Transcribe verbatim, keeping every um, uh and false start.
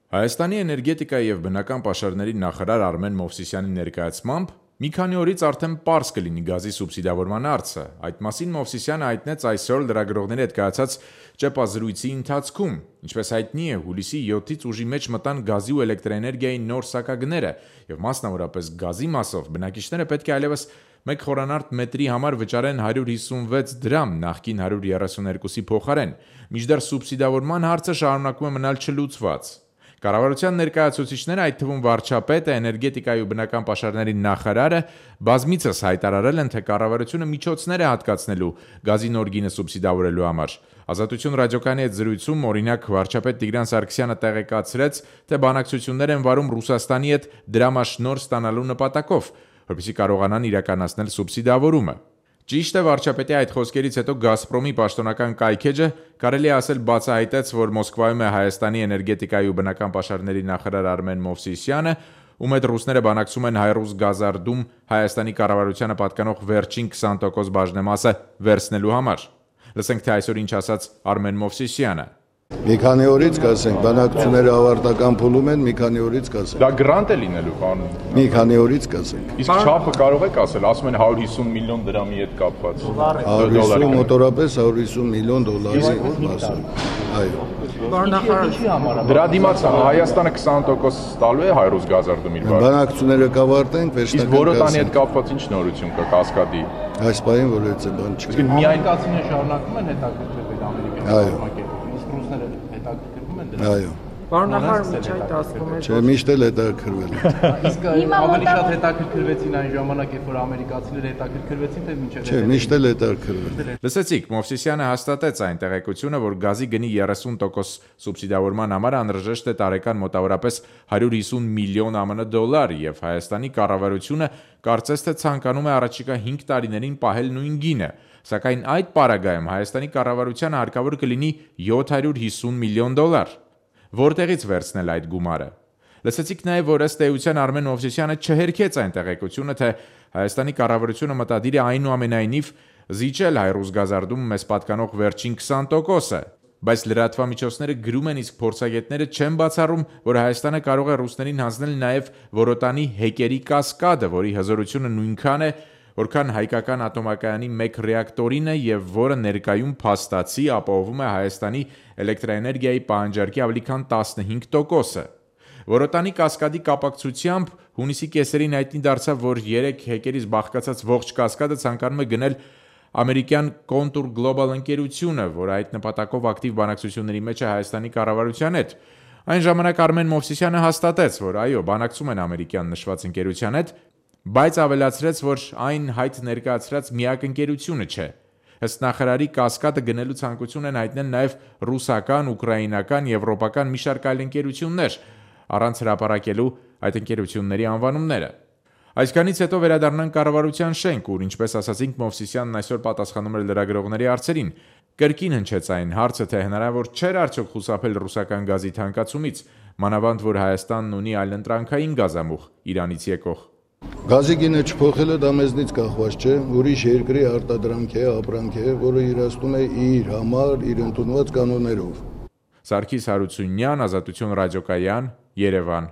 Հայաստանի էներգետիկայի և բնական պաշարների նախարար Արմեն Մովսիսյանի ներկայացմամբ մի քանի օրից արդեն պարզ կլինի գազի սուբսիդավորման հարցը։ Այդ մասին Մովսիսյանը հայտնեց այսօր լրագրողների հետ կայացած ճեպազրույցի ընթացքում։ Ինչպես հայտնի է, հուլիսի յոթից ուժի մեջ մտան գազի ու էլեկտրաէներգիայի նոր սակագները, և մասնավորապես գազի մասով բնակիչները պետք է այլևս մեկ խորանարդ մետրի համար վճարեն հարյուր հիսունվեց դրամ, նախկին հարյուր երեսունհինգի փոխարեն, մինչդեռ սուբսիդավորման հարցը շարունակում է մնալ չլուծված։ Կառավարության ներկայացուցիչները, այդ թվում վարչապետը, էներգետիկայի ու բնական պաշարների նախարարը բազմիցս հայտարարել են, թե կառավարությունը միջոցներ է հատկացնելու գազի նոր գինը սուբսիդավորելու համար։ Ազատություն ռադիոկայանի հետ զրույցում, օրինակ, վարչապետ Տիգրան Սարգսյանը տեղեկացրեց, թե բանակցություններ են վարում Ռուսաստանի հետ դրամաշնորհ ստանալու նպատակով, որպեսզի կարողանան իրականացնել սուբսիդավորումը։ Ճիշտ է, վարչապետի այդ խոսքերից հետո Գազպրոմի պաշտոնական կայքէջը կարելի է ասել բացահայտեց, որ Մոսկվայում է Հայաստանի էներգետիկայի ու բնական պաշարների նախարար Արմեն Մովսիսյանը, ում հետ ռուսները բանակցում են Հայրուզ Գազարդում Հայաստանի կառավարությանը պատկանող վերջին քսան տոկոս բաժնեմասը վերցնելու համար։ Լսենք, թե այսօր ինչ ասաց Արմեն Մովսիսյանը։ Մի քանի օրից կասենք, բանակցությունները ավարտական փուլում են, մի քանի օրից կասենք։ Դա գրանտ է լինելու, պարոն։ Մի քանի օրից կասենք։ Իսկ չափը կարող եք ասել, ասում են հարյուր հիսուն միլիոն դրամի հետ կապված։ հարյուր հիսուն մոտորապես հարյուր հիսուն միլիոն դոլարի մասը։ Այո։ Դրա դիմաց Հայաստանը քսան տոկոս տալու է Հայրուզ Գազարդում իր բաժնը։ Բանակցությունները կավարտենք, վերջնական։ Իսկ Որոտանի հետ կապված ինչ նորություն կա Կասկադի։ Այս պահին որևէ բան չկա։ Իսկ միայն կացինը շարունակում են հետաքրքրվել Ամերիկայի կազմակերպում, իսկ ռուսները հետաքրքրվում են դրանից։ Այո։ Պարոն նախարար, միջ այդ ասվում է, Չէ, միշտ էլ հետաքրքրվել են։ Իսկ ավելի շատ հետաքրքրվեցին այն ժամանակ, երբ որ ամերիկացիները հետաքրքրվեցին, թե մինչև Չէ, միշտ էլ հետաքրքրվել։ Լսեցիք, Մովսիսյանը հաստատեց այն տեղեկությունը, որ գազի գնի երեսուն տոկոս սուբսիդավորման համար անհրաժեշտ է տարեկան մոտավորապես հարյուր հիսուն միլիոն ԱՄՆ դոլար, և Հայաստանի կառավարությունը կարծես թե ցանկանում է առաջիկա հինգ տարիներին պահել նույն գինը, սակայն այդ պարագայում Հայաստանի կառավարությանը հարկավոր կլինի յոթ հարյուր հիսուն միլիոն դոլար։ Որտեղից վերցնել այդ գումարը։ Լսեցիք նաև, որ ըստ էության Արմեն Մովսիսյանը չհերքեց այն տեղեկությունը, թե Հայաստանի կառավարությունը մտադիր է այնուամենայնիվ զիջել Հայրուզ Գազարդում մեզ պատկանող վերջին քսան տոկոսը, բայց լրատվամիջոցները գրում են, իսկ փորձագետները չեն բացառում, որ Հայաստանը կարող է ռուսներին հանձնել նաև Որոտանի հեկերի կասկադը, որի հզորությունը նույնքան է, որքան հայկական ատոմակայանի մեկ ռեակտորինը և որը ներկայում փաստացի ապահովում է Հայաստանի էլեկտրաէներգիայի պահանջարկի ավելի քան տասնհինգ տոկոսը։ Որոտանի կասկադի կապակցությամբ հունիսի կեսերին հայտնի դարձավ, որ երեք հեկերից բաղկացած ողջ կասկադը ցանկանում է գնել ամերիկյան Contour Global ընկերությունը, որը այդ նպատակով ակտիվ բանակցությունների մեջ է Հայաստանի կառավարության հետ։ Այն ժամանակ Արմեն Մովսիսյանը հաստատեց, որ այո, բանակցում են ամերիկյան նշված ընկերության հետ, բայց ավելացրեց, որ այն հայտ ներկայացրած միակ ընկերությունը չէ։ Ըստ նախարարի, կասկադը գնելու ցանկություն են հայտնել նաև ռուսական, ուկրաինական, եվրոպական մի շարք այլ ընկերություններ, առանց հրապարակելու այդ ընկերությունների անվանումները։ Այսքանից հետո վերադառնանք կառավարության շենք, ուր, ինչպես ասացինք, Մովսիսյանն այսօր պատասխանում էր լրագրողների հարցերին։ Կրկին հնչեց այն հարցը, թե հնարավոր չէր արդյոք խուսափել ռուսական գազի թանկացումից, մանավանդ որ Հայաստանն ունի այլընտրանքային գազամուղ Իրանից եկող։ Գազի գինը չփոխելը դա մեզնից կախված չէ, ուրիշ երկրի արտադրանք է, ապրանք է, որը իրացնում է իր համար, իր ընդունված կանոններով։ Սարգիս Հարությունյան, Ազատություն ռադիոկայան, Երևան։